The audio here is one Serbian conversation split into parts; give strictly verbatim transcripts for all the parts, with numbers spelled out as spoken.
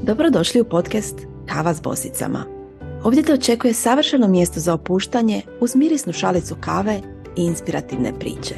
Dobrodošli u podcast Kava s bosicama. Ovdje te očekuje savršeno mjesto za opuštanje uz mirisnu šalicu kave i inspirativne priče.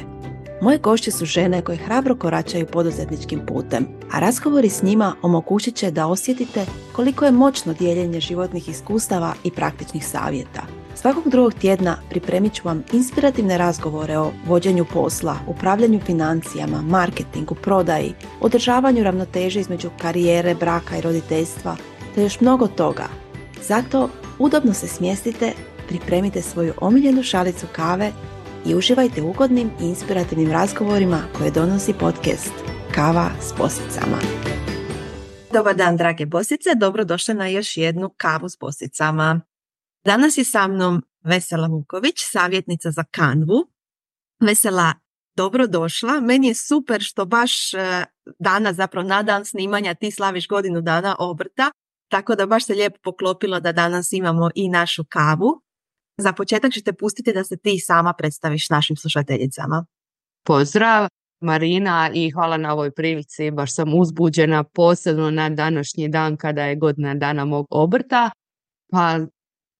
Moje gošće su žene koje hrabro koračaju poduzetničkim putem, a razgovori s njima omogućit će da osjetite koliko je moćno dijeljenje životnih iskustava i praktičnih savjeta. Svakog drugog tjedna pripremit ću vam inspirativne razgovore o vođenju posla, upravljanju financijama, marketingu, prodaji, održavanju ravnoteže između karijere, braka i roditeljstva, te još mnogo toga. Zato udobno se smjestite, pripremite svoju omiljenu šalicu kave i uživajte u ugodnim i inspirativnim razgovorima koje donosi podcast Kava s bosicama. Dobar dan, drage bosice, dobrodošle na još jednu Kavu s bosicama. Danas je sa mnom Vesela Vuković, savjetnica za Canvu. Vesela, dobrodošla. Meni je super što baš danas, zapravo na dan snimanja, ti slaviš godinu dana obrta, tako da baš se lijepo poklopilo da danas imamo i našu kavu. Za početak ću te pustiti da se ti sama predstaviš našim slušateljicama. Pozdrav Marina i hvala na ovoj prilici, baš sam uzbuđena posebno na današnji dan kada je godina dana mog obrta, pa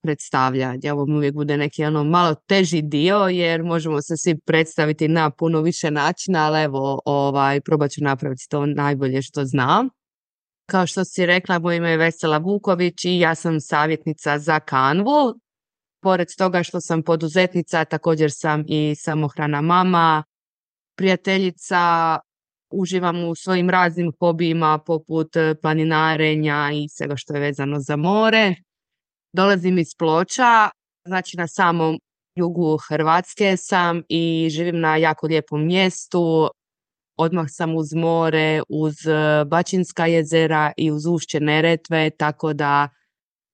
predstavljanje, ovo mi uvijek bude neki ono malo teži dio jer možemo se svi predstaviti na puno više načina, ali evo ovaj, probat ću napraviti to najbolje što znam. Kao što si rekla, moje ime je Vesela Vuković i ja sam savjetnica za Canvu. Pored toga što sam poduzetnica, također sam i samohrana mama, prijateljica, uživam u svojim raznim hobijima poput planinarenja i svega što je vezano za more. Dolazim iz Ploča, znači na samom jugu Hrvatske sam i živim na jako lijepom mjestu. Odmah sam uz more, uz Bačinska jezera i uz ušće Neretve, tako da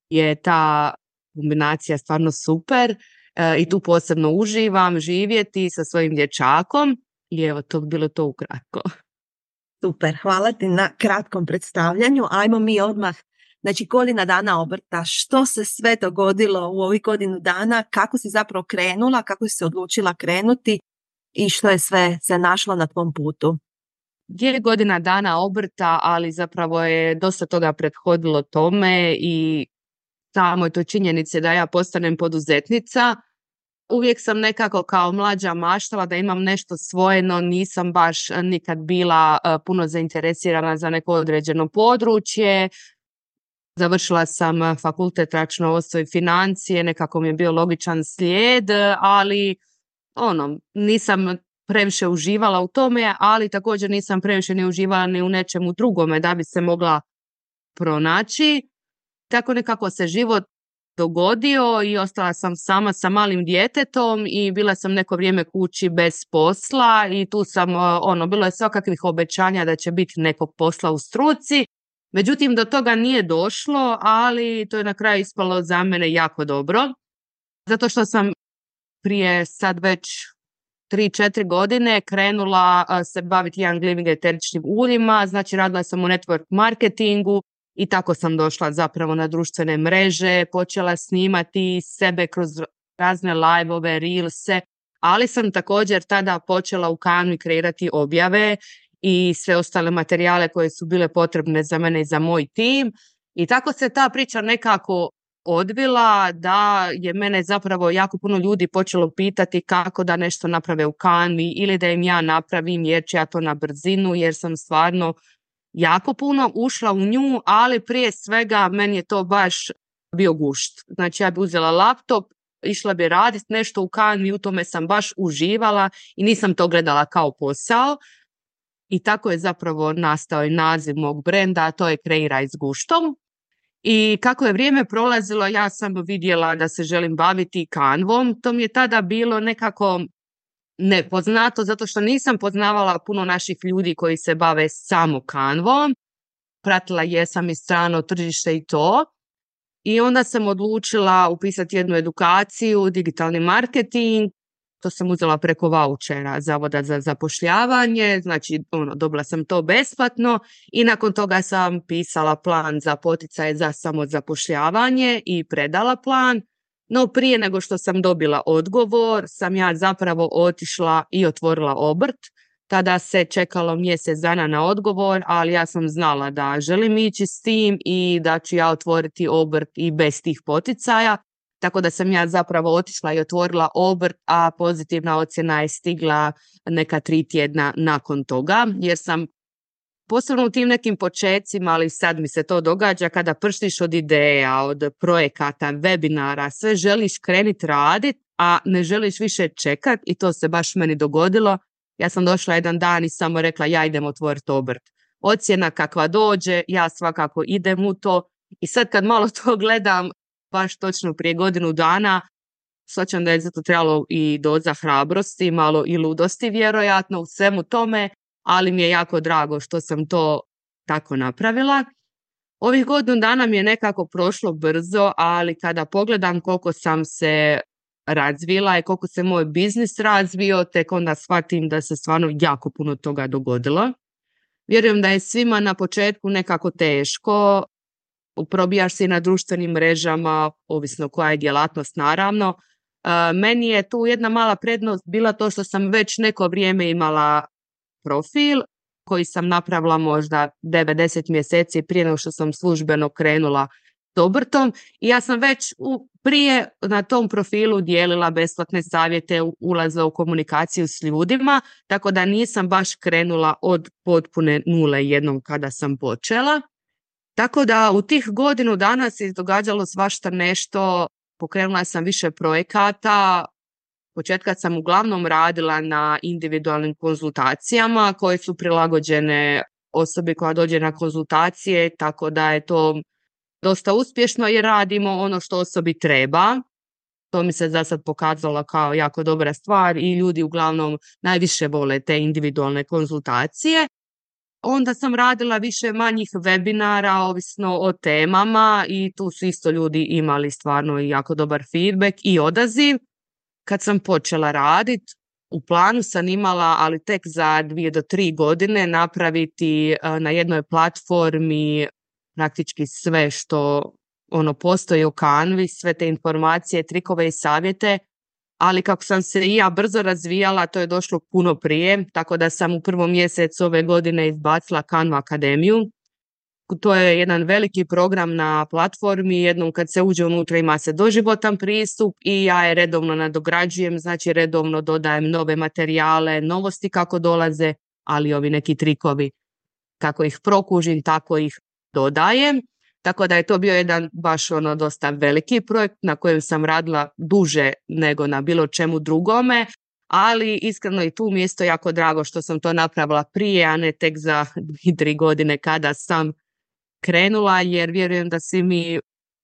je ta kombinacija stvarno super e, i tu posebno uživam živjeti sa svojim dječakom i evo to bi bilo to ukratko. Super, hvala ti na kratkom predstavljanju. Ajmo mi odmah, znači godina dana obrta, što se sve dogodilo u ovih godinu dana, kako si zapravo krenula, kako si se odlučila krenuti i što je sve se našlo na tvom putu? Je godina dana obrta, ali zapravo je dosta toga prethodilo tome i samoj toj činjenici da ja postanem poduzetnica. Uvijek sam nekako kao mlađa maštala da imam nešto svoje, no nisam baš nikad bila uh, puno zainteresirana za neko određeno područje. Završila sam fakultet računovodstvo i financije, nekako mi je bio logičan slijed, ali ono, nisam previše uživala u tome, ali također nisam previše ni uživala ni u nečemu drugome da bi se mogla pronaći. Tako nekako se život dogodio i ostala sam sama sa malim djetetom i bila sam neko vrijeme kući bez posla i tu sam, ono, bilo je svakakvih obećanja da će biti nekog posla u struci. Međutim, do toga nije došlo, ali to je na kraju ispalo za mene jako dobro. Zato što sam prije sad već tri četiri godine krenula se baviti young living eteričnim uljima, znači radila sam u network marketingu i tako sam došla zapravo na društvene mreže, počela snimati sebe kroz razne live-ove, reelse, ali sam također tada počela u Canvi kreirati objave i sve ostale materijale koje su bile potrebne za mene i za moj tim. I tako se ta priča nekako odvila da je mene zapravo jako puno ljudi počelo pitati kako da nešto naprave u Canvi ili da im ja napravim jer ću ja to na brzinu jer sam stvarno jako puno ušla u nju, ali prije svega meni je to baš bio gušt. Znači ja bi uzela laptop, išla bi raditi nešto u Canvi, u tome sam baš uživala i nisam to gledala kao posao. I tako je zapravo nastao i naziv mog brenda, a to je Kreiraj s guštom. I kako je vrijeme prolazilo, ja sam vidjela da se želim baviti Canvom. To mi je tada bilo nekako nepoznato, zato što nisam poznavala puno naših ljudi koji se bave samo Canvom. Pratila jesam i strano tržište i to. I onda sam odlučila upisati jednu edukaciju, digitalni marketing. To sam uzela preko vaučera Zavoda za zapošljavanje, znači ono, dobila sam to besplatno i nakon toga sam pisala plan za poticaje za samozapošljavanje i predala plan. No prije nego što sam dobila odgovor, sam ja zapravo otišla i otvorila obrt. tada se čekalo mjesec dana na odgovor, ali ja sam znala da želim ići s tim i da ću ja otvoriti obrt i bez tih poticaja. Tako da sam ja zapravo otišla i otvorila obrt, a pozitivna ocjena je stigla neka tri tjedna nakon toga, jer sam posebno u tim nekim počecima, ali sad mi se to događa, kada prštiš od ideja, od projekata, webinara, sve želiš kreniti raditi, a ne želiš više čekati i to se baš meni dogodilo. Ja sam došla jedan dan i samo rekla ja idem otvoriti obrt. Ocjena kakva dođe, ja svakako idem u to i sad kad malo to gledam, baš točno prije godinu dana, shvaćam da je zato trebalo i doza hrabrosti, malo i ludosti vjerojatno u svemu tome, ali mi je jako drago što sam to tako napravila. Ovih godinu dana mi je nekako prošlo brzo, ali kada pogledam koliko sam se razvila i koliko se moj biznis razvio, tek onda shvatim da se stvarno jako puno toga dogodilo. Vjerujem da je svima na početku nekako teško, probijaš se i na društvenim mrežama, ovisno koja je djelatnost naravno. E, meni je tu jedna mala prednost bila to što sam već neko vrijeme imala profil koji sam napravila možda devedeset mjeseci prije nego što sam službeno krenula s obrtom i ja sam već u, prije na tom profilu dijelila besplatne savjete, ulaza u komunikaciju s ljudima, tako da nisam baš krenula od potpune nule jednom kada sam počela. Tako da u tih godinu dana se događalo svašta nešto, pokrenula sam više projekata. Početka sam uglavnom radila na individualnim konzultacijama koje su prilagođene osobi koja dođe na konzultacije, tako da je to dosta uspješno jer radimo ono što osobi treba. To mi se za sad pokazalo kao jako dobra stvar i ljudi uglavnom najviše vole te individualne konzultacije. Onda sam radila više manjih webinara, ovisno o temama i tu su isto ljudi imali stvarno jako dobar feedback i odaziv. Kad sam počela raditi, u planu sam imala, ali tek za dvije do tri godine, napraviti na jednoj platformi praktički sve što ono postoji u Canvi, sve te informacije, trikove i savjete, ali kako sam se i ja brzo razvijala, to je došlo puno prije, tako da sam u prvom mjesecu ove godine izbacila Canva Akademiju. To je jedan veliki program na platformi, jednom kad se uđe unutra ima se doživotan pristup i ja je redovno nadograđujem, znači redovno dodajem nove materijale, novosti kako dolaze, ali ovi neki trikovi kako ih prokužim, tako ih dodajem. Tako da je to bio jedan baš ono dosta veliki projekt na kojem sam radila duže nego na bilo čemu drugome, ali iskreno i tu mi je isto jako drago što sam to napravila prije, a ne tek za dvije, tri godine kada sam krenula, jer vjerujem da svi mi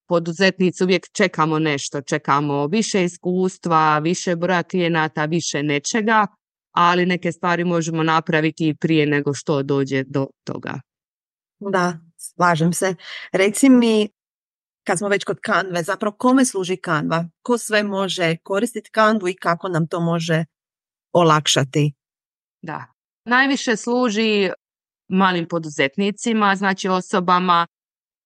poduzetnici uvijek čekamo nešto, čekamo više iskustva, više broja klijenata, više nečega, ali neke stvari možemo napraviti i prije nego što dođe do toga. Da, slažem se. Reci mi, kad smo već kod Canve, zapravo kome služi Canva? Ko sve može koristiti Canvu i kako nam to može olakšati? Da, najviše služi malim poduzetnicima, znači osobama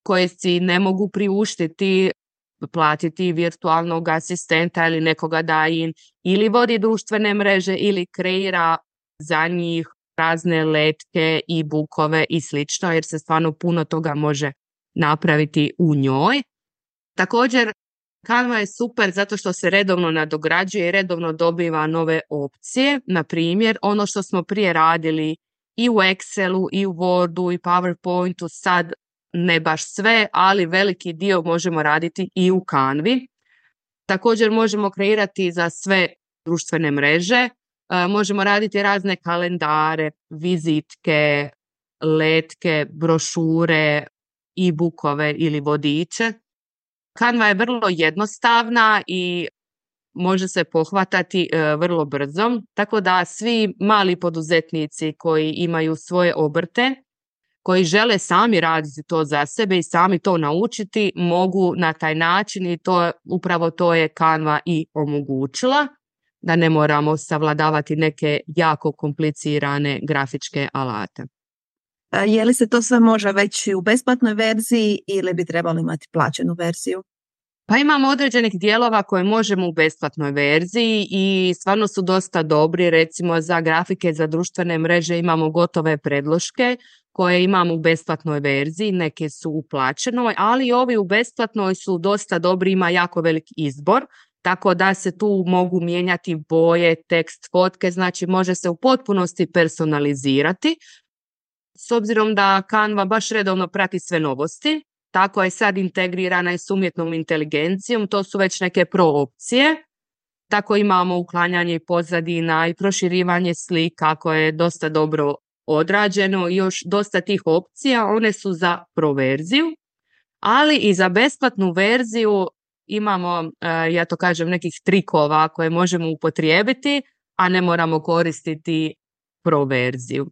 koje si ne mogu priuštiti platiti virtualnog asistenta ili nekoga da im ili vodi društvene mreže ili kreira za njih razne letke, e-bookove i slično, jer se stvarno puno toga može napraviti u njoj. Također, Canva je super zato što se redovno nadograđuje i redovno dobiva nove opcije. Na primjer, ono što smo prije radili i u Excelu, i u Wordu, i PowerPointu, sad ne baš sve, ali veliki dio možemo raditi i u Canvi. Također možemo kreirati za sve društvene mreže, možemo raditi razne kalendare, vizitke, letke, brošure, e-bookove ili vodiče. Canva je vrlo jednostavna i može se pohvatati e, vrlo brzo, tako da svi mali poduzetnici koji imaju svoje obrte, koji žele sami raditi to za sebe i sami to naučiti, mogu na taj način i to upravo to je Canva i omogućila, da ne moramo savladavati neke jako komplicirane grafičke alate. Je li se to sve može već u besplatnoj verziji ili bi trebalo imati plaćenu verziju? Pa imamo određenih dijelova koje možemo u besplatnoj verziji i stvarno su dosta dobri, recimo za grafike za društvene mreže imamo gotove predloške koje imamo u besplatnoj verziji, neke su u plaćenoj, ali ovi u besplatnoj su dosta dobri, ima jako velik izbor, tako da se tu mogu mijenjati boje, tekst, fotke, znači može se u potpunosti personalizirati. S obzirom da Canva baš redovno prati sve novosti, tako je sad integrirana i s umjetnom inteligencijom, to su već neke pro opcije. Tako imamo uklanjanje pozadina i proširivanje slika koje je dosta dobro odrađeno i još dosta tih opcija, one su za pro verziju, ali i za besplatnu verziju imamo, ja to kažem, nekih trikova koje možemo upotrijebiti, a ne moramo koristiti pro verziju.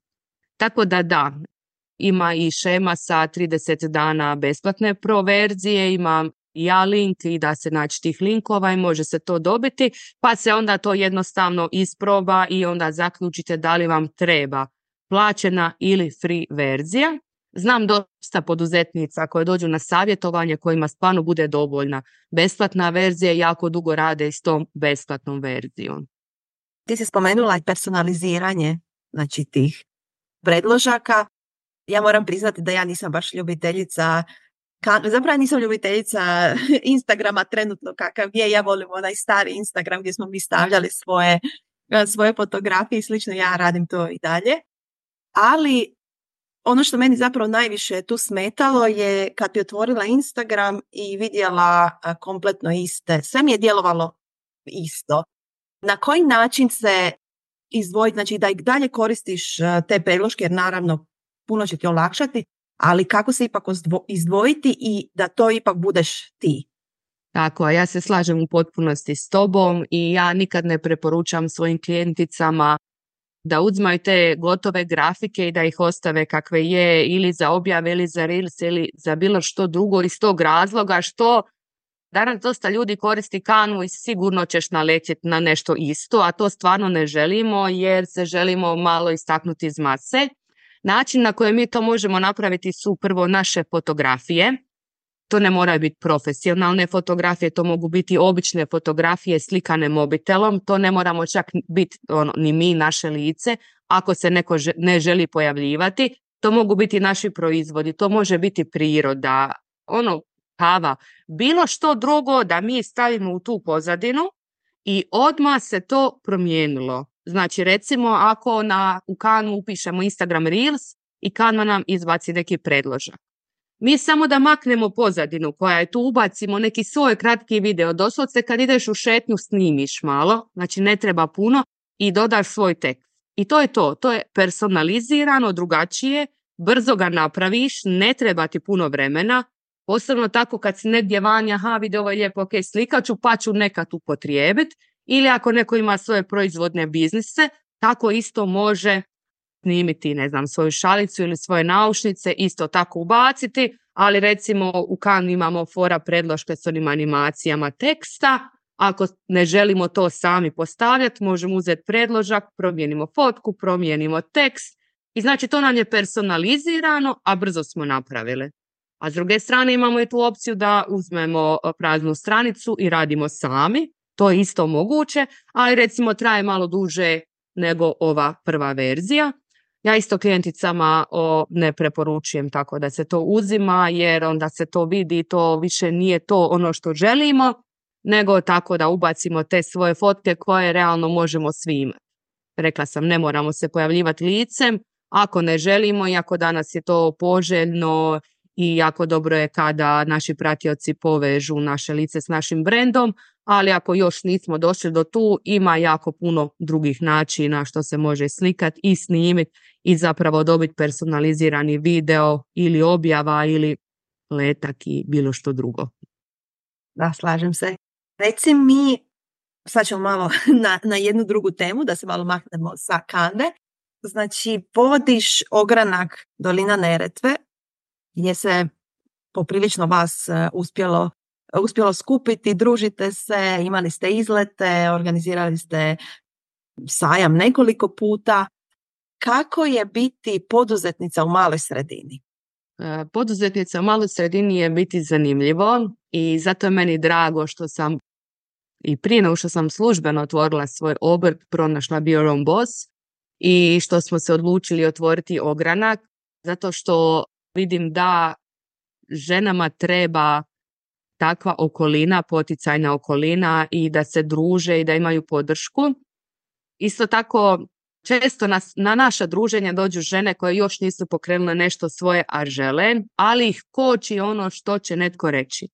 Tako da da, ima i šema sa trideset dana besplatne pro verzije, ima i ja link i da se naći tih linkova i može se to dobiti, pa se onda to jednostavno isproba i onda zaključite da li vam treba plaćena ili free verzija. Znam dosta poduzetnica koje dođu na savjetovanje kojima stvarno bude dovoljna besplatna verzija i jako dugo rade s tom besplatnom verzijom. Ti si spomenula i personaliziranje, znači tih predložaka. Ja moram priznati da ja nisam baš ljubiteljica, zapravo nisam ljubiteljica Instagrama trenutno kakav je. Ja volim onaj stari Instagram gdje smo mi stavljali svoje, svoje fotografije i slično. Ja radim to i dalje. Ali ono što meni zapravo najviše tu smetalo je kad bi otvorila Instagram i vidjela kompletno iste. Sve mi je djelovalo isto. Na koji način se izdvojiti, znači da i dalje koristiš te predloške, jer naravno puno će ti olakšati, ali kako se ipak izdvojiti i da to ipak budeš ti? Tako, ja se slažem u potpunosti s tobom i ja nikad ne preporučam svojim klijenticama da uzmaju te gotove grafike i da ih ostave kakve je ili za objave ili za reels ili za bilo što drugo iz tog razloga što danas dosta ljudi koristi Canvu i sigurno ćeš naletjeti na nešto isto, a to stvarno ne želimo jer se želimo malo istaknuti iz mase. Način na koji mi to možemo napraviti su prvo naše fotografije. To ne moraju biti profesionalne fotografije, to mogu biti obične fotografije slikane mobitelom, to ne moramo čak biti ono, ni mi, naše lice, ako se neko že, ne želi pojavljivati. To mogu biti naši proizvodi, to može biti priroda, ono, kava, bilo što drugo da mi stavimo u tu pozadinu i odmah se to promijenilo. Znači recimo ako na, u Canvu upišemo Instagram Reels i Canva nam izbaci neki predložak. Mi samo da maknemo pozadinu koja je tu, ubacimo neki svoj kratki video, doslovce kad ideš u šetnju snimiš malo, znači ne treba puno i dodaš svoj tekst. I to je to, to je personalizirano, drugačije, brzo ga napraviš, ne treba ti puno vremena, posebno tako kad si negdje vanja, aha vidi ovo je lijepo, ok, slikat ću pa ću nekad upotrijebiti, ili ako neko ima svoje proizvodne biznise, tako isto može snimiti, ne znam, svoju šalicu ili svoje naušnice, isto tako ubaciti, ali recimo u Canvi imamo fora predloške s onim animacijama teksta. Ako ne želimo to sami postavljati, možemo uzeti predložak, promijenimo fotku, promijenimo tekst i znači to nam je personalizirano, a brzo smo napravili. A s druge strane imamo i tu opciju da uzmemo praznu stranicu i radimo sami, to je isto moguće, ali recimo traje malo duže nego ova prva verzija. Ja isto klijenticama o, ne preporučujem tako da se to uzima jer onda se to vidi, to više nije to ono što želimo, nego tako da ubacimo te svoje fotke koje realno možemo svi imati. Rekla sam, ne moramo se pojavljivati licem, ako ne želimo, iako danas je to poželjno i jako dobro je kada naši pratioci povežu naše lice s našim brendom, ali ako još nismo došli do tu, ima jako puno drugih načina što se može slikati i snimiti i zapravo dobiti personalizirani video ili objava ili letak i bilo što drugo. Da, slažem se. Reci mi, sad ćemo malo na, na jednu drugu temu, da se malo maknemo sa Canve. Znači, vodiš ogranak Dolina Neretve, gdje se poprilično vas uspjelo, uspjelo skupiti, družite se, imali ste izlete, organizirali ste sajam nekoliko puta. Kako je biti poduzetnica u maloj sredini? poduzetnica u maloj sredini je biti zanimljivo i zato je meni drago što sam i prije nego što sam službeno otvorila svoj obrt, pronašla Be Your Own Boss i što smo se odlučili otvoriti ogranak, zato što vidim da ženama treba takva okolina, poticajna okolina i da se druže i da imaju podršku. Isto tako, često nas, na naša druženja dođu žene koje još nisu pokrenule nešto svoje, a žele, ali ih koči ono što će netko reći.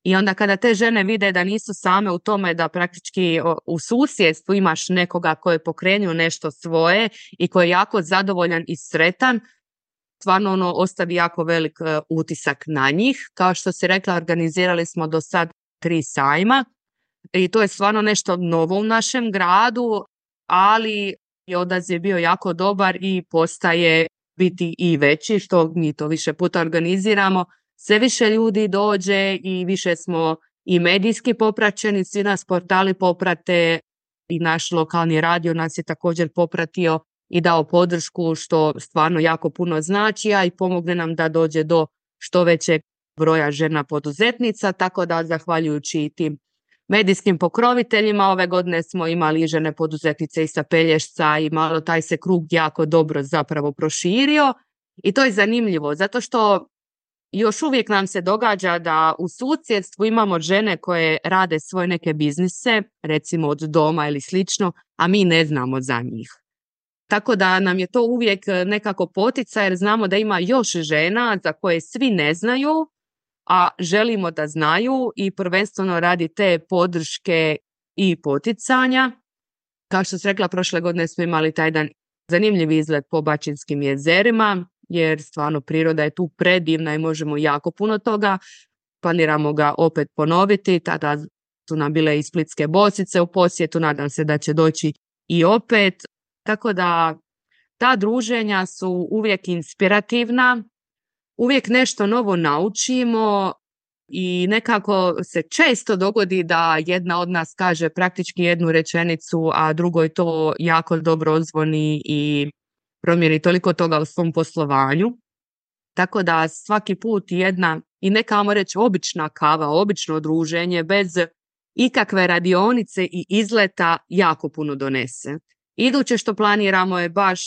I onda kada te žene vide da nisu same u tome, da praktički u susjedstvu imaš nekoga koji je pokrenuo nešto svoje i koji je jako zadovoljan i sretan, stvarno ono ostavi jako velik utisak na njih. Kao što si rekla, organizirali smo do sad tri sajma i to je stvarno nešto novo u našem gradu, ali je odaziv bio jako dobar i postaje biti i veći, što mi to više puta organiziramo. Sve više ljudi dođe i više smo i medijski popraćeni, svi nas portali poprate i naš lokalni radio nas je također popratio i dao podršku, što stvarno jako puno znači, a i pomogne nam da dođe do što većeg broja žena poduzetnica, tako da zahvaljujući tim medijskim pokroviteljima ove godine smo imali žene poduzetnice i sa Pelješca i malo taj se krug jako dobro zapravo proširio i to je zanimljivo zato što još uvijek nam se događa da u susjedstvu imamo žene koje rade svoje neke biznise, recimo od doma ili slično, a mi ne znamo za njih. Tako da nam je to uvijek nekako poticaj jer znamo da ima još žena za koje svi ne znaju, a želimo da znaju i prvenstveno radi te podrške i poticanja. Kao što sam rekla, prošle godine smo imali taj jedan zanimljiv izlet po Bačinskim jezerima, jer stvarno priroda je tu predivna i možemo jako puno toga. Planiramo ga opet ponoviti, tada su nam bile i splitske bosice u posjetu, nadam se da će doći i opet. Tako da ta druženja su uvijek inspirativna, uvijek nešto novo naučimo i nekako se često dogodi da jedna od nas kaže praktički jednu rečenicu, a drugoj to jako dobro odzvoni i promijeni toliko toga u svom poslovanju. Tako da svaki put jedna i neka, ajmo reći, obična kava, obično druženje bez ikakve radionice i izleta jako puno donese. Iduće što planiramo je baš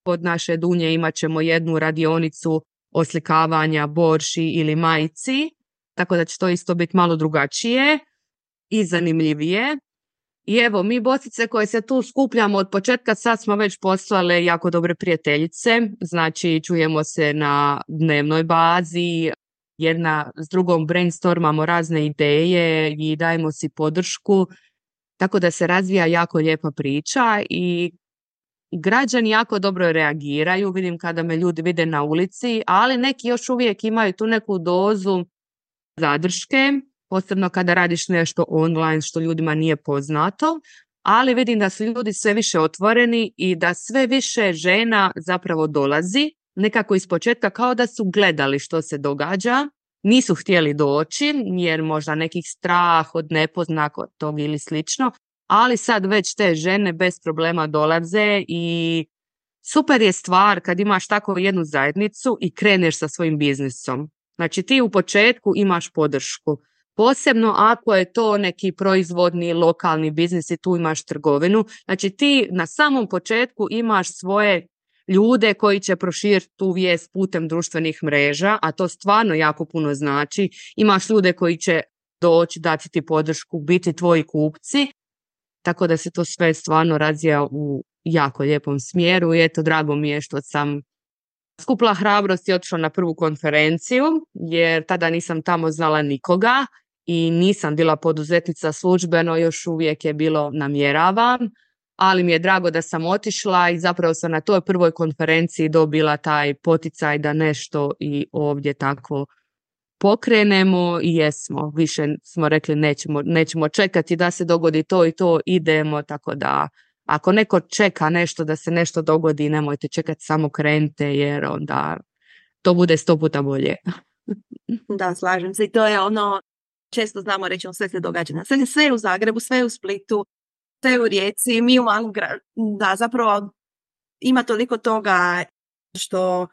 kod naše Dunje imat ćemo jednu radionicu oslikavanja borši ili majici, tako da će to isto biti malo drugačije i zanimljivije. I evo, mi bosice koje se tu skupljamo od početka, sad smo već poslale jako dobre prijateljice, znači čujemo se na dnevnoj bazi, jedna s drugom brainstormamo razne ideje i dajemo si podršku, tako da se razvija jako lijepa priča i građani jako dobro reagiraju, vidim kada me ljudi vide na ulici, ali neki još uvijek imaju tu neku dozu zadrške, posebno kada radiš nešto online što ljudima nije poznato, ali vidim da su ljudi sve više otvoreni i da sve više žena zapravo dolazi, nekako iz početka kao da su gledali što se događa, nisu htjeli doći jer možda nekih strah od nepoznatog ili slično, ali sad već te žene bez problema dolaze i super je stvar kad imaš tako jednu zajednicu i kreneš sa svojim biznisom. Znači ti u početku imaš podršku. Posebno ako je to neki proizvodni lokalni biznis i tu imaš trgovinu. Znači ti na samom početku imaš svoje ljude koji će proširiti tu vijest putem društvenih mreža, a to stvarno jako puno znači. Imaš ljude koji će doći, dati ti podršku, biti tvoji kupci, tako da se to sve stvarno razvija u jako lijepom smjeru i eto, drago mi je što sam skupila hrabrost i otišla na prvu konferenciju, jer tada nisam tamo znala nikoga i nisam bila poduzetnica službeno, još uvijek je bilo namjeravam, ali mi je drago da sam otišla i zapravo sam na toj prvoj konferenciji dobila taj poticaj da nešto i ovdje tako pokrenemo i jesmo, više smo rekli nećemo, nećemo čekati da se dogodi to i to, idemo, tako da ako neko čeka nešto da se nešto dogodi, nemojte čekati, samo krenite jer onda to bude sto puta bolje. Da, slažem se i to je ono, često znamo reći, sve se događa na sve, sve u Zagrebu, sve u Splitu, sve u Rijeci, mi u malom gradu, da zapravo ima toliko toga što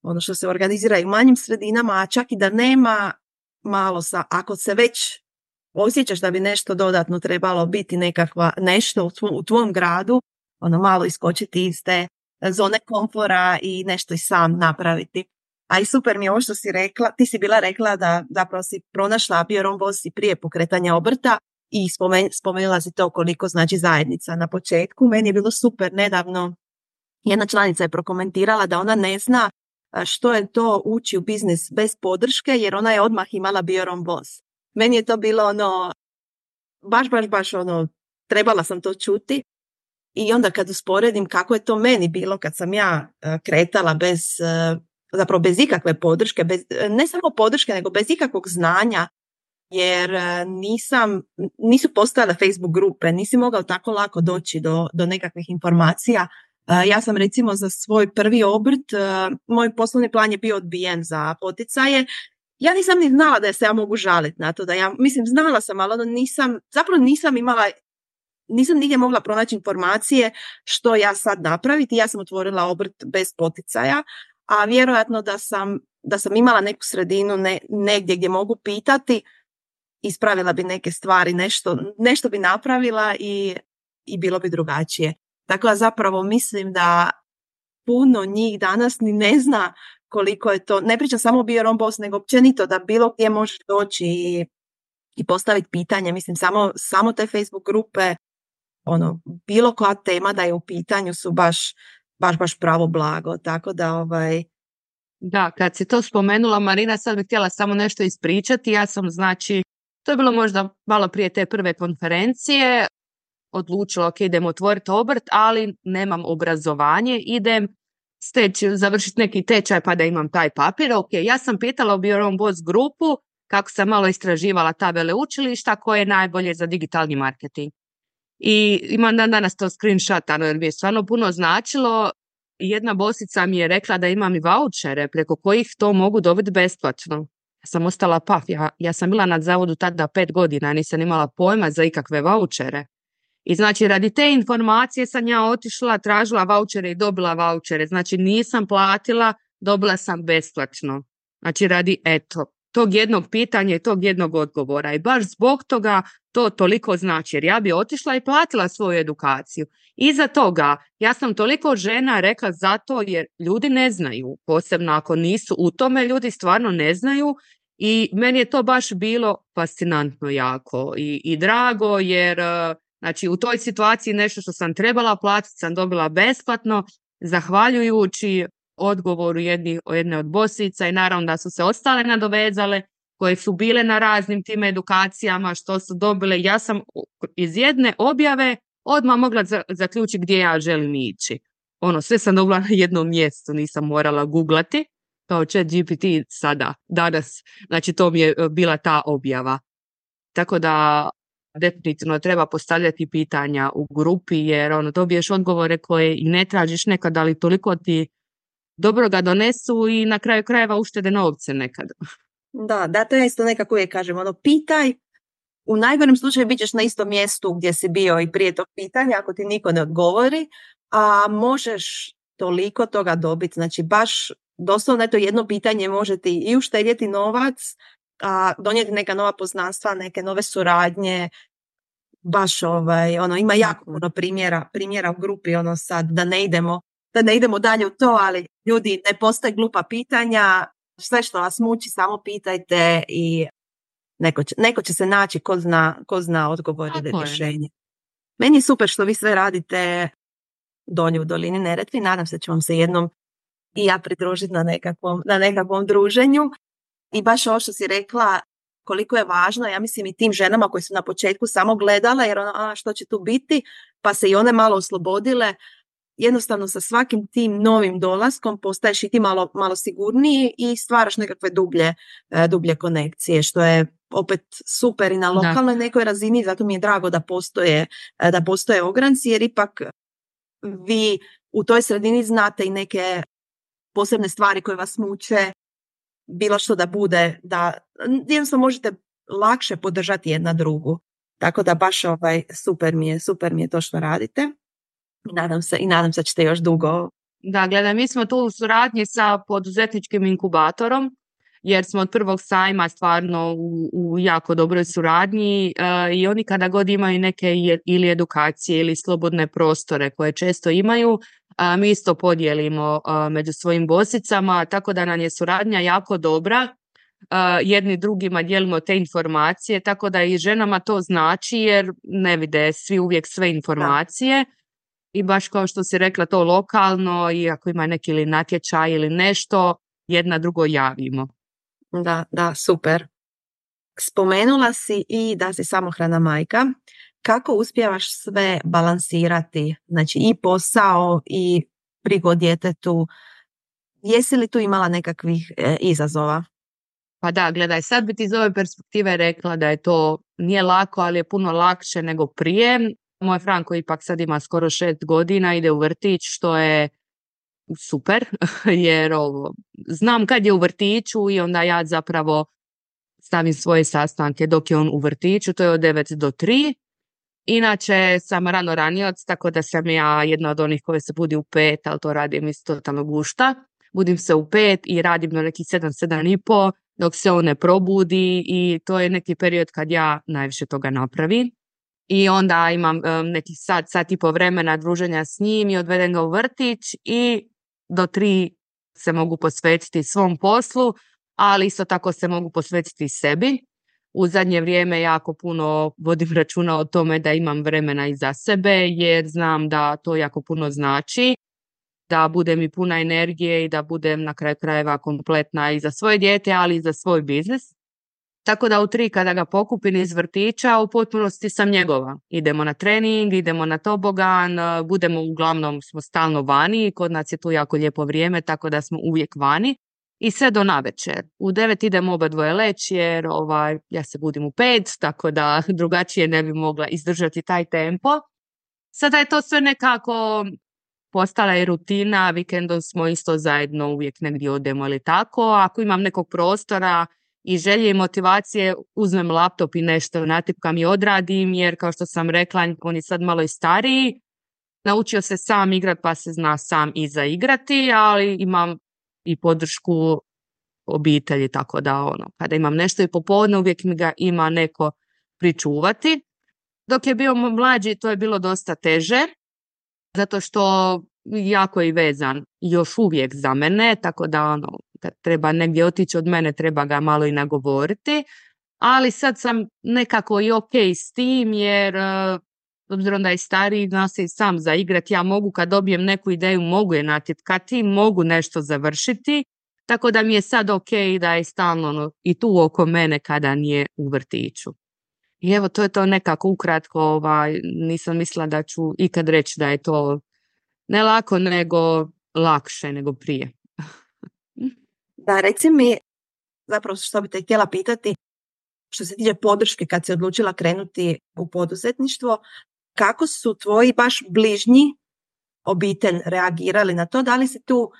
ono što se organizira i u manjim sredinama, a čak i da nema malo sa, ako se već osjećaš da bi nešto dodatno trebalo biti nekakva nešto u, tvom, u tvom gradu, ono malo iskočiti iz te zone komfora i nešto i sam napraviti. A i super mi je ovo što si rekla, ti si bila rekla da zapravo si pronašla Be Your Own Boss i prije pokretanja obrta i spomen, spomenula si to koliko znači zajednica na početku. Meni je bilo super nedavno, jedna članica je prokomentirala da ona ne zna što je to ući u biznis bez podrške, jer ona je odmah imala Be Your Own Boss. Meni je to bilo ono, baš, baš, baš ono, trebala sam to čuti. I onda kad usporedim kako je to meni bilo kad sam ja kretala bez, zapravo bez ikakve podrške, bez, ne samo podrške, nego bez ikakvog znanja, jer nisam, nisu postojale Facebook grupe, nisi mogao tako lako doći do, do nekakvih informacija. Ja sam recimo za svoj prvi obrt, moj poslovni plan je bio odbijen za poticaje. Ja nisam ni znala da se ja mogu žaliti na to, da ja, mislim, znala sam, ali ono nisam, zapravo nisam imala, nisam nigdje mogla pronaći informacije što ja sad napraviti. Ja sam otvorila obrt bez poticaja, a vjerojatno da sam, da sam imala neku sredinu ne, negdje gdje mogu pitati, ispravila bi neke stvari, nešto, nešto bi napravila i, i bilo bi drugačije. Tako da zapravo mislim da puno njih danas ni ne zna koliko je to, ne pričam samo o Be Your Own Boss, nego općenito da bilo gdje možeš doći i, i postaviti pitanje. Mislim, samo, samo te Facebook grupe, ono, bilo koja tema da je u pitanju su baš, baš, baš pravo blago. Tako da, ovaj... Da, kad si to spomenula, Marina, sad bih htjela samo nešto ispričati. Ja sam, znači, to je bilo možda malo prije te prve konferencije, odlučila, ok, idem otvoriti obrt, ali nemam obrazovanje, idem steći, završiti neki tečaj pa da imam taj papir. Ok, ja sam pitala u Be Your Own Boss grupu kako sam malo istraživala ta veleučilišta koje je najbolje za digitalni marketing. I imam dan danas to screenshotano jer mi je stvarno puno značilo. Jedna bosica mi je rekla da imam i vaučere preko kojih to mogu dobiti besplatno. Ja sam ostala paf, ja, ja sam bila na zavodu tada pet godina, nisam imala pojma za ikakve vaučere. I znači radi te informacije sam ja otišla, tražila vaučere i dobila vaučere. Znači nisam platila, dobila sam besplatno. Znači radi eto, tog jednog pitanja i tog jednog odgovora. I baš zbog toga to toliko znači. Jer ja bi otišla i platila svoju edukaciju. Iza toga ja sam toliko žena rekla zato jer ljudi ne znaju. Posebno ako nisu u tome, ljudi stvarno ne znaju. I meni je to baš bilo fascinantno jako i, i drago jer... Znači, u toj situaciji nešto što sam trebala platiti sam dobila besplatno, zahvaljujući odgovoru jedni, jedne od bosica i naravno da su se ostale nadovezale, koje su bile na raznim tim edukacijama, što su dobile. Ja sam iz jedne objave odmah mogla zaključiti gdje ja želim ići. Ono, sve sam dobila na jednom mjestu, nisam morala googlati, kao ChatGPT sada, danas. Znači, to mi je bila ta objava. Tako da... definitivno treba postavljati pitanja u grupi jer ono, dobiješ odgovore koje i ne tražiš nekad, ali toliko ti dobro ga donesu i na kraju krajeva uštede novce nekad. Da, da, to je isto nekako uvijek kažem, ono, pitaj, u najgorem slučaju bit ćeš na istom mjestu gdje si bio i prije tog pitanja ako ti niko ne odgovori, a možeš toliko toga dobiti, znači baš doslovno to jedno pitanje može ti i uštedjeti novac, a donijeti neka nova poznanstva, neke nove suradnje, baš ovaj, ono, ima jako puno primjera, primjera u grupi, ono sad, da ne idemo, da ne idemo dalje u to, ali ljudi, ne postoje glupa pitanja, sve što vas muči, samo pitajte i neko će, neko će se naći ko zna, ko zna odgovor ili rješenje. Meni je super što vi sve radite dolje u dolini Neretvi, nadam se da ću vam se jednom i ja pridružiti na nekakvom, na nekakvom druženju. I baš ovo što si rekla, koliko je važno, ja mislim i tim ženama koje su na početku samo gledale, jer ono, a što će tu biti, pa se i one malo oslobodile, jednostavno sa svakim tim novim dolaskom postaješ i ti malo, malo sigurniji i stvaraš nekakve dublje, dublje konekcije, što je opet super i na lokalnoj da. nekoj razini, zato mi je drago da postoje, da postoje ogranci, jer ipak vi u toj sredini znate i neke posebne stvari koje vas muče, bilo što da bude, da jednostavno možete lakše podržati jedna drugu. Tako da baš ovaj, super mi je, super mi je to što radite. I nadam se, i nadam se da ćete još dugo, Da, gledaj, mi smo tu u suradnji sa poduzetničkim inkubatorom, jer smo od prvog sajma stvarno u, u jako dobroj suradnji e, i oni kada god imaju neke je, ili edukacije ili slobodne prostore koje često imaju, a, mi isto podijelimo a, među svojim bosicama, tako da nam je suradnja jako dobra. A, jedni drugima dijelimo te informacije, tako da i ženama to znači jer ne vide svi uvijek sve informacije. Da. I baš kao što si rekla, to lokalno i ako ima neki ili natječaj ili nešto, jedna drugo javimo. Da, da, super. Spomenula si i da si samohrana majka. Kako uspijevaš sve balansirati? Znači i posao i brigu o djetetu. Jesi li tu imala nekakvih e, izazova? Pa da, gledaj, sad bi ti iz ove perspektive rekla da je to nije lako, ali je puno lakše nego prije. Moj Franko ipak sad ima skoro šest godina, ide u vrtić, što je super, jer ovo, znam kad je u vrtiću i onda ja zapravo stavim svoje sastanke dok je on u vrtiću, to je od devet do tri. Inače sam rano ranioc, tako da sam ja jedna od onih koje se budi u pet, ali to radim isto totalno gušta. Budim se u pet i radim do nekih sedam, sedam i po, dok se on ne probudi i to je neki period kad ja najviše toga napravim. I onda imam um, neki sat, sat i po vremena druženja s njim i odvedem ga u vrtić i do tri se mogu posvetiti svom poslu, ali isto tako se mogu posvetiti sebi. U zadnje vrijeme jako puno vodim računa o tome da imam vremena i za sebe, jer znam da to jako puno znači, da budem i puna energije i da budem na kraju krajeva kompletna i za svoje dijete, ali i za svoj biznis. Tako da u tri kada ga pokupim iz vrtića, u potpunosti sam njegova. Idemo na trening, idemo na tobogan, budemo uglavnom, smo stalno vani, kod nas je tu jako lijepo vrijeme, tako da smo uvijek vani. I sve do navečer. U devet idemo oba dvoje leći jer ovaj, ja se budim u pet, tako da drugačije ne bi mogla izdržati taj tempo. Sada je to sve nekako postala je rutina, vikendom smo isto zajedno uvijek negdje odemo ili tako. Ako imam nekog prostora i želje i motivacije, uzmem laptop i nešto natipkam i odradim, jer kao što sam rekla, on je sad malo i stariji. Naučio se sam igrat pa se zna sam i zaigrati, ali imam i podršku obitelji, tako da ono, kada imam nešto i popodne uvijek mi ga ima neko pričuvati. Dok je bio mlađi to je bilo dosta teže, zato što jako je vezan još uvijek za mene, tako da ono, kad treba negdje otići od mene treba ga malo i nagovoriti, ali sad sam nekako i ok s tim jer obzirom da je stariji, zna se i sam zaigrati, ja mogu kad dobijem neku ideju, mogu je natipkati, mogu nešto završiti, tako da mi je sad ok da je stalno ono, i tu oko mene kada nije u vrtiću. I evo, to je to nekako ukratko, ovaj, nisam mislila da ću ikad reći da je to ne lako, nego lakše nego prije. Da, reci mi, zapravo što bi te htjela pitati, što se tiče podrške kad si odlučila krenuti u poduzetništvo, kako su tvoji baš bližnji obitelj reagirali na to? Da li si tu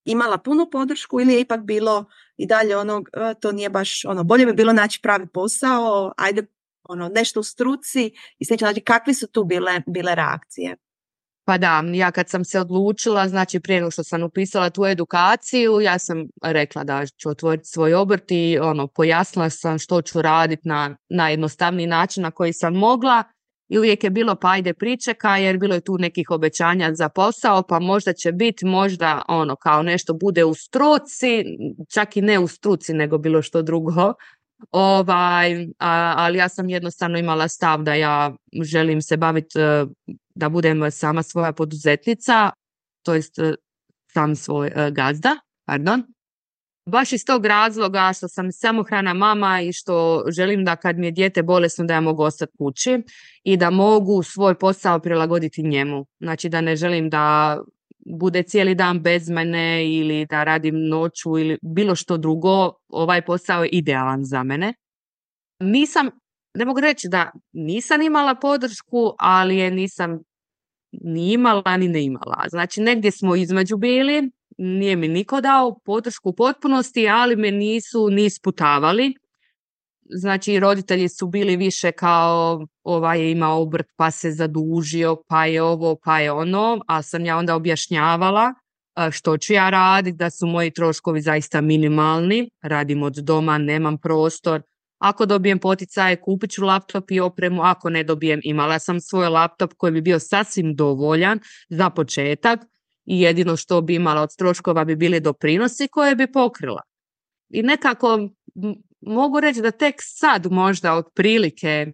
imala punu podršku ili je ipak bilo i dalje ono, to nije baš ono, bolje bi bilo naći pravi posao, ajde ono, nešto u struci i slično, znači kakve su tu bile, bile reakcije? Pa da, ja kad sam se odlučila, znači prije nego što sam upisala tu edukaciju, ja sam rekla da ću otvoriti svoj obrt i ono, pojasnila sam što ću raditi na najjednostavniji način na koji sam mogla i uvijek je bilo pa ajde pričekaj jer bilo je tu nekih obećanja za posao, pa možda će biti, možda ono kao nešto bude u struci, čak i ne u struci nego bilo što drugo. Ovaj, a, ali ja sam jednostavno imala stav da ja želim se baviti, da budem sama svoja poduzetnica, to jest sam svoj uh, gazda, pardon. Baš iz tog razloga što sam samohrana mama i što želim da kad mi je dijete bolesno da ja mogu ostati kući i da mogu svoj posao prilagoditi njemu. Znači da ne želim da bude cijeli dan bez mene ili da radim noću ili bilo što drugo, ovaj posao je idealan za mene. Nisam, ne mogu reći da nisam imala podršku, ali je nisam ni imala ni ne imala. Znači negdje smo između bili, nije mi niko dao podršku u potpunosti, ali me nisu ni isputavali. Znači roditelji su bili više kao ovaj je imao obrt pa se zadužio, pa je ovo, pa je ono, a sam ja onda objašnjavala što ću ja raditi, da su moji troškovi zaista minimalni, radim od doma, nemam prostor. Ako dobijem poticaje, kupit ću laptop i opremu, ako ne dobijem, imala sam svoj laptop koji bi bio sasvim dovoljan za početak i jedino što bi imala od troškova bi bili doprinosi koje bi pokrila. I nekako m- mogu reći da tek sad možda otprilike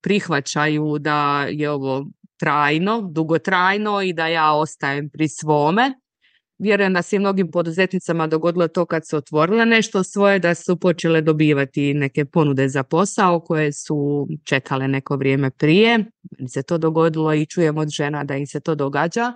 prihvaćaju da je ovo trajno, dugotrajno i da ja ostajem pri svome. Vjerujem da se i mnogim poduzetnicama dogodilo to kad su otvorile nešto svoje, da su počele dobivati neke ponude za posao koje su čekale neko vrijeme prije. Meni se to dogodilo i čujem od žena da im se to događa.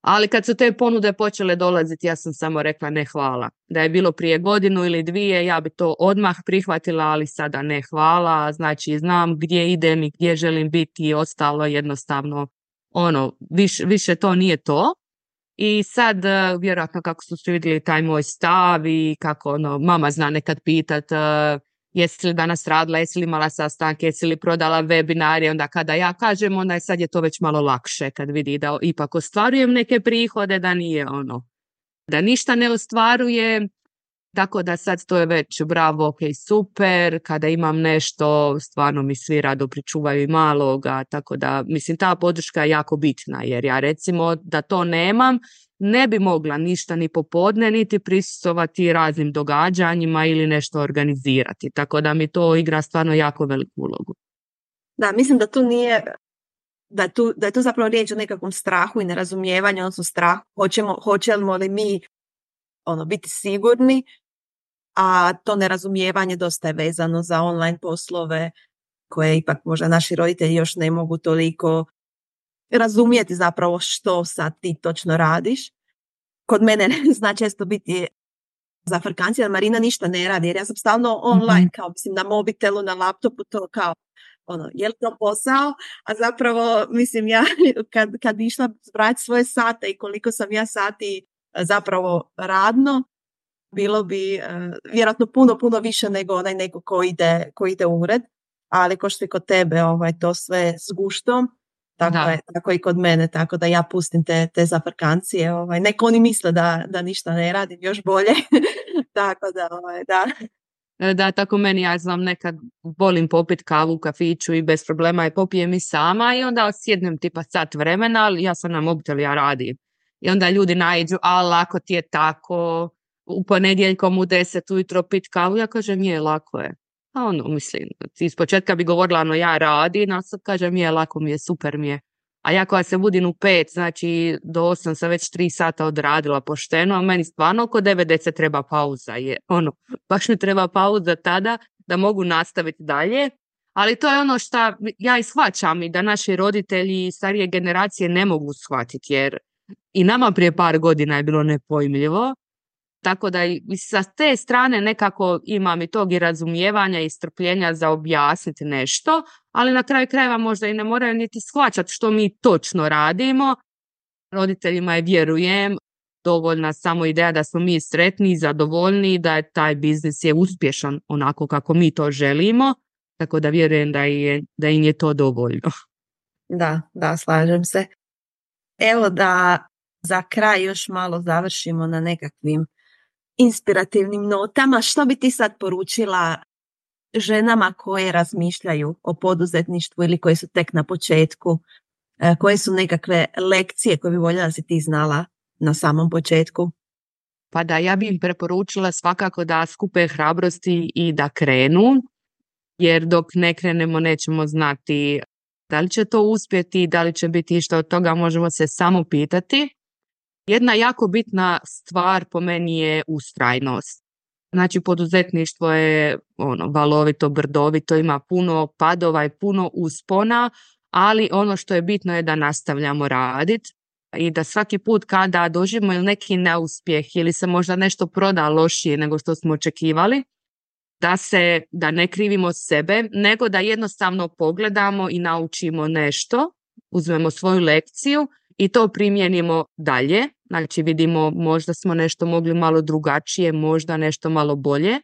Ali kad su te ponude počele dolaziti, ja sam samo rekla ne hvala. Da je bilo prije godinu ili dvije, ja bi to odmah prihvatila, ali sada ne hvala. Znači znam gdje idem i gdje želim biti i ostalo jednostavno, ono, više, više to nije to. I sad, uh, vjerojatno kako su svi vidjeli taj moj stav i kako ono, mama zna nekad pitat uh, jesi li danas radila, jesi li imala sastanke, jesi li prodala webinare, onda kada ja kažem, onda je sad je to već malo lakše kad vidi da ipak ostvarujem neke prihode, da nije ono, da ništa ne ostvarujem. Tako da sad to je već bravo, ok, super, kada imam nešto, stvarno mi svi rado pričuvaju i maloga, tako da mislim ta podrška je jako bitna, jer ja recimo da to nemam, ne bi mogla ništa ni popodne, niti prisustvovati raznim događanjima ili nešto organizirati, tako da mi to igra stvarno jako veliku ulogu. Da, mislim da tu nije, da, tu, da je tu zapravo riječ o nekakvom strahu i nerazumijevanju, odnosno strah, hoćemo, hoćemo li mi ono, biti sigurni, a to nerazumijevanje dosta je vezano za online poslove koje ipak možda naši roditelji još ne mogu toliko razumjeti zapravo što sad ti točno radiš. Kod mene zna često biti zafrkancija, Marina ništa ne radi jer ja sam stalno online, mm-hmm. kao mislim na mobitelu, na laptopu, to kao ono, je li to posao? A zapravo mislim ja kad, kad bi išla zbrati svoje sate i koliko sam ja sati zapravo radno, bilo bi uh, vjerojatno puno, puno više nego onaj neko ko ide, ko ide u ured, ali ko što je kod tebe ovaj, to sve s guštom, tako, je, tako i kod mene, tako da ja pustim te, te zafrkancije, ovaj, neko oni misle da, da ništa ne radim, još bolje, tako da, ovaj, da. Da, tako meni, ja znam, nekad volim popit kavu u kafiću i bez problema je popijem i sama i onda sjednem tipa sat vremena, ali ja sam na mobitelu, ja radim. I onda ljudi naiđu, a lako ti je tako, u ponedjeljkom u deset ujutro pit kavu, ja kažem je, lako je. A ono, mislim, iz početka bi govorila, no ja radim, a sad kažem je, lako mi je, super mi je. A ja koja se budim u pet, znači do osam sam već tri sata odradila pošteno, a meni stvarno oko devet deset treba pauza. Je, ono, baš mi treba pauza tada da mogu nastaviti dalje. Ali to je ono što ja i shvaćam i da naši roditelji i starije generacije ne mogu shvatiti, jer i nama prije par godina je bilo nepojmljivo. Tako da i sa te strane nekako imam i tog i razumijevanja i strpljenja za objasniti nešto, ali na kraju krajeva možda i ne moraju niti shvaćati što mi točno radimo. Roditeljima je, vjerujem, dovoljna samo ideja da smo mi sretni i zadovoljni, da je taj biznis je uspješan onako kako mi to želimo, tako da vjerujem da, je, da im je to dovoljno. Da, da, slažem se. Evo da za kraj još malo završimo na nekakvim inspirativnim notama. Što bi ti sad poručila ženama koje razmišljaju o poduzetništvu ili koje su tek na početku? Koje su nekakve lekcije koje bi voljela da si ti znala na samom početku? Pa da, ja bi im preporučila svakako da skupe hrabrosti i da krenu, jer dok ne krenemo nećemo znati da li će to uspjeti, da li će biti išta od toga, možemo se samo pitati. Jedna jako bitna stvar po meni je ustrajnost. Znači poduzetništvo je ono valovito, brdovito, ima puno padova i puno uspona, ali ono što je bitno je da nastavljamo raditi i da svaki put kada doživimo ili neki neuspjeh ili se možda nešto proda lošije nego što smo očekivali, da se, da ne krivimo sebe, nego da jednostavno pogledamo i naučimo nešto, uzmemo svoju lekciju i to primijenimo dalje. Znači vidimo, možda smo nešto mogli malo drugačije, možda nešto malo bolje,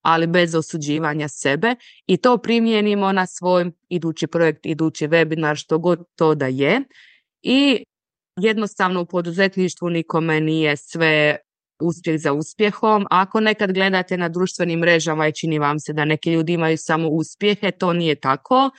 ali bez osuđivanja sebe i to primijenimo na svoj idući projekt, idući webinar, što god to da je. I jednostavno u poduzetništvu nikome nije sve uspjeh za uspjehom. Ako nekad gledate na društvenim mrežama i čini vam se da neki ljudi imaju samo uspjehe, to nije tako.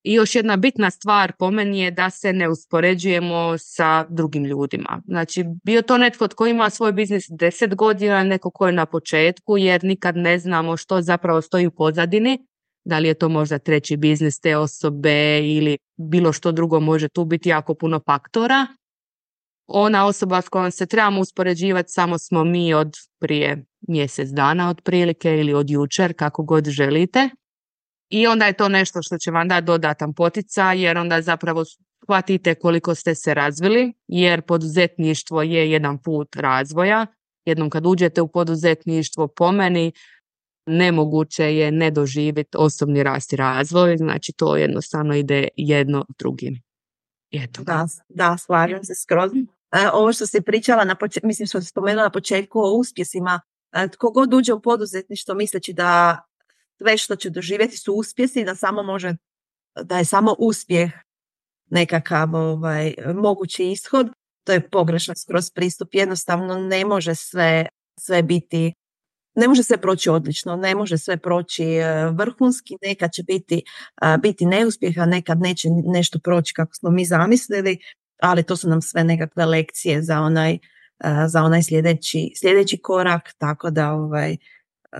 I još jedna bitna stvar po meni je da se ne uspoređujemo sa drugim ljudima. Znači, bio to netko tko ima svoj biznis deset godina, neko ko je na početku, jer nikad ne znamo što zapravo stoji u pozadini. Da li je to možda treći biznis te osobe ili bilo što drugo, može tu biti jako puno faktora. Ona osoba s kojom se trebamo uspoređivati samo smo mi od prije mjesec dana otprilike ili od jučer, kako god želite. I onda je to nešto što će vam dati dodatan poticaj, jer onda zapravo shvatite koliko ste se razvili, jer poduzetništvo je jedan put razvoja. Jednom kad uđete u poduzetništvo, po meni, nemoguće je ne doživjeti osobni rast i razvoj, znači to jednostavno ide jedno drugim. Eto. Da, da, slažem se skroz. E, ovo što si pričala, na početku, mislim što si spomenula na početku o uspjesima, e, tko god uđe u poduzetništvo misleći da sve što će doživjeti su uspjesi, da samo može, da je samo uspjeh nekakav ovaj, mogući ishod, to je pogrešan skroz pristup. Jednostavno ne može sve, sve biti, ne može sve proći odlično, ne može sve proći vrhunski, nekad će biti, biti neuspjeh, a nekad neće nešto proći kako smo mi zamislili, ali to su nam sve nekakve lekcije za onaj, za onaj sljedeći, sljedeći korak, tako da ovaj,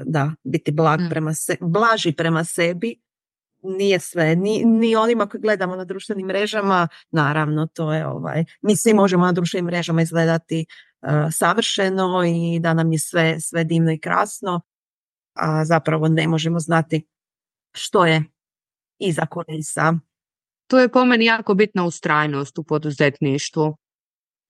da, biti blag prema se, blaži prema sebi, nije sve, ni, ni onima koji gledamo na društvenim mrežama, naravno to je ovaj, mi svi možemo na društvenim mrežama izgledati uh, savršeno i da nam je sve, sve divno i krasno, a zapravo ne možemo znati što je iza kulisa. To je po meni jako bitna ustrajnost u poduzetništvu.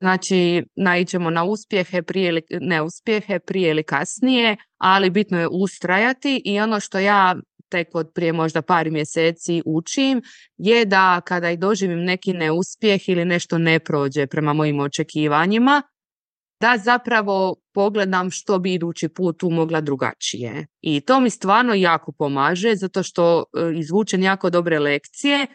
Znači, naiđemo na uspjehe, prije ili neuspjehe, prije ili kasnije, ali bitno je ustrajati i ono što ja tek od prije možda par mjeseci učim je da kada i doživim neki neuspjeh ili nešto ne prođe prema mojim očekivanjima, da zapravo pogledam što bi idući put tu mogla drugačije. I to mi stvarno jako pomaže zato što izvučem jako dobre lekcije.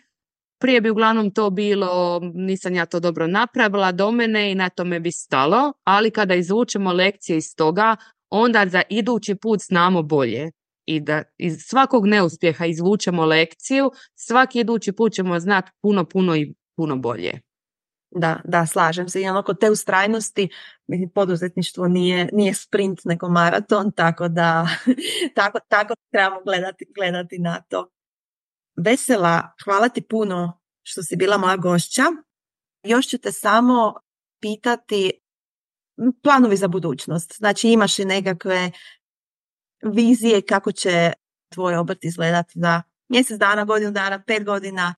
Prije bi uglavnom to bilo, nisam ja to dobro napravila do mene i na tome bi stalo, ali kada izvučemo lekcije iz toga, onda za idući put znamo bolje. I da iz svakog neuspjeha izvučemo lekciju, svaki idući put ćemo znati puno, puno i puno bolje. Da, da, slažem se. I ono kod te ustrajnosti, poduzetništvo nije, nije sprint nego maraton, tako da tako, tako trebamo gledati, gledati na to. Vesela, hvala ti puno što si bila moja gošća. Još ću te samo pitati planovi za budućnost. Znači imaš li nekakve vizije kako će tvoj obrt izgledati za mjesec dana, godinu dana, pet godina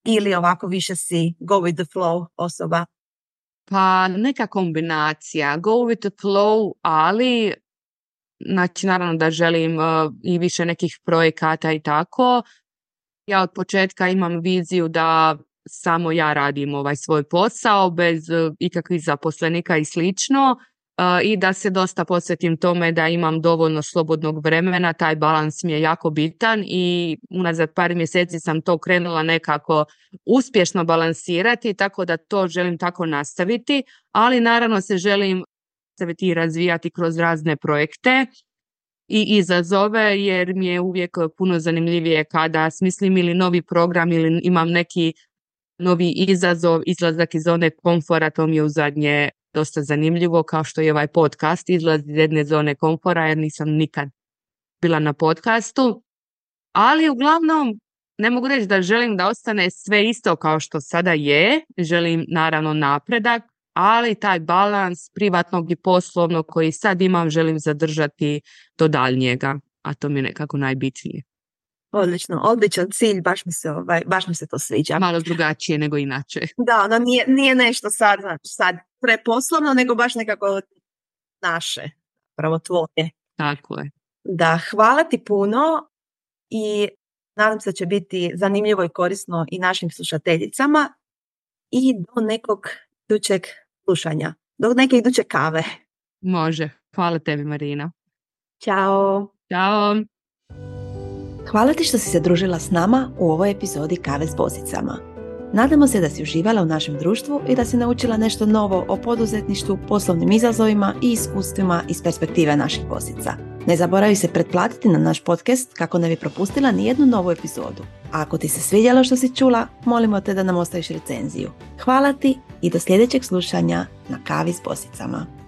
ili ovako više si go with the flow osoba? Pa neka kombinacija. Go with the flow, ali znači naravno da želim uh, i više nekih projekata i tako. Ja od početka imam viziju da samo ja radim ovaj svoj posao bez uh, ikakvih zaposlenika i slično uh, i da se dosta posvetim tome da imam dovoljno slobodnog vremena, taj balans mi je jako bitan i unazad par mjeseci sam to krenula nekako uspješno balansirati, tako da to želim tako nastaviti, ali naravno se želim nastaviti i razvijati kroz razne projekte i izazove, jer mi je uvijek puno zanimljivije kada smislim ili novi program ili imam neki novi izazov, izlazak iz zone komfora, to mi je u zadnje dosta zanimljivo, kao što je ovaj podcast, izlaz iz jedne zone komfora, jer nisam nikad bila na podcastu. Ali uglavnom ne mogu reći da želim da ostane sve isto kao što sada je, želim naravno napredak, ali taj balans privatnog i poslovnog koji sad imam želim zadržati do daljnjega, a to mi je nekako najbitnije. Odlično, odličan cilj, baš mi se, ovaj, baš mi se to sviđa. Malo drugačije nego inače. Da, ono nije, nije nešto sad, znači, sad preposlovno, nego baš nekako naše, pravo tvoje. Tako je. Da, hvala ti puno i nadam se da će biti zanimljivo i korisno i našim slušateljicama i do nekog idućeg slušanja, do neke iduće kave. Može. Hvala tebi, Marina. Ćao. Ćao. Hvala ti što si se družila s nama u ovoj epizodi Kave s bosicama. Nadamo se da si uživala u našem društvu i da si naučila nešto novo o poduzetništvu, poslovnim izazovima i iskustvima iz perspektive naših bosica. Ne zaboravi se pretplatiti na naš podcast kako ne bi propustila ni jednu novu epizodu. A ako ti se svidjelo što si čula, molimo te da nam ostaviš recenziju. Hvala ti i do sljedećeg slušanja na Kavi s bosicama.